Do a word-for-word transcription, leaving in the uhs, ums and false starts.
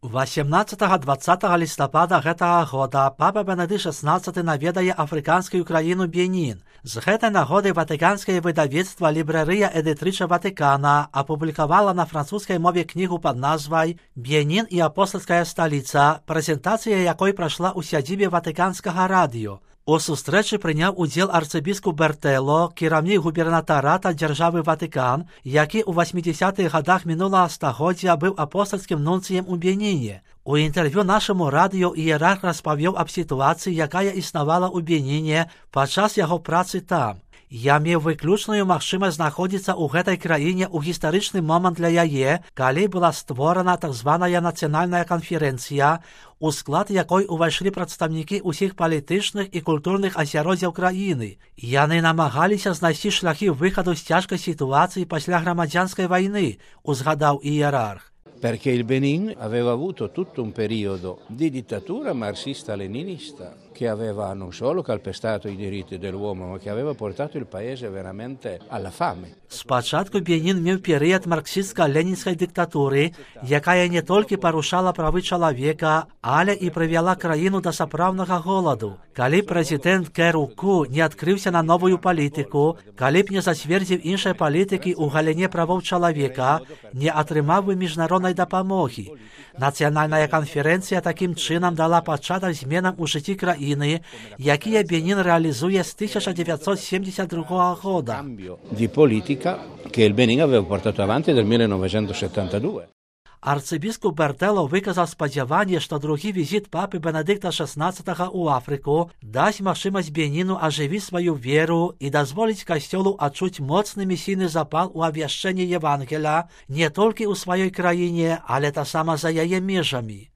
восемнадцатага-дваццатага лістапада гэтага года папа Бенедыкт шаснаццаты наведае афрыканскую краіну Бенін. З гэтай нагоды ватыканскае выдавецтва «Лібрэрыя Эдытрыча Ватыкана» апублікавала на французскай мове кнігу пад назвай «Бенін і апостальская сталіца», прэзентацыя якой прайшла ў сядзібе ватыканскага радыё. У сустрэчы прыняў удзел арцыбіскуп Бертэло, кіраўнік губернатарата дзяржавы Ватыкан, які ў васьмідзясятых гадах мінулага стагоддзя быў апостальскім нунцыем у Беніне. У інтэрв'ю нашаму радыё іерарх распавёў аб сітуацыі, якая існавала ў Беніне падчас яго працы там. Я меў выключную магчымасць знаходзіцца ў гэтай краіне ў гістарычны момант для яе, калі была створана так званая нацыянальная канферэнцыя, у склад якой увайшлі прадстаўнікі ўсіх палітычных і культурных асяроддзяў краіны. Яны намагаліся знайсці шляхі выхаду з цяжкай сітуацыі пасля грамадзянскай вайны, узгадаў іерарх. Perché il Benin aveva avuto tutto un periodo di dittatura marxista-leninista che aveva non solo calpestato i diritti dell'uomo, ma che aveva portato il paese veramente alla fame. Спачатку Бенін меў перыяд марксістска-ленінскай дыктатуры, якая не толькі парушала правы чалавека, але і прывяла краіну да сапраўднага голаду. Калі прэзідэнт Кэруку не адкрыўся на новую палітыку, калі б не зацвердзіў іншай палітыкі ў галіне правоў чалавека, не атрымаў бы міжнароднай дапамогі. Нацыянальная канферэнцыя такім чынам дала пачатак зменам у жыцці краіны, якія Бенін рэалізуе з тысяча дзевяцьсот семьдесят другого года. Di politica che il Benin aveva portato avanti dal millenovecentosettantadue. Арцыбіскуп Бертэло выказаў спадзяванне, што другі візіт папы Бенедыкта шаснаццатага ў Афрыку дасць магчымасць Беніну ажывіць сваю веру і дазволіць касцёлу адчуць моцны місійны запал у абвяшчэнні Евангеля не толькі ў сваёй краіне, але таксама за яе межамі.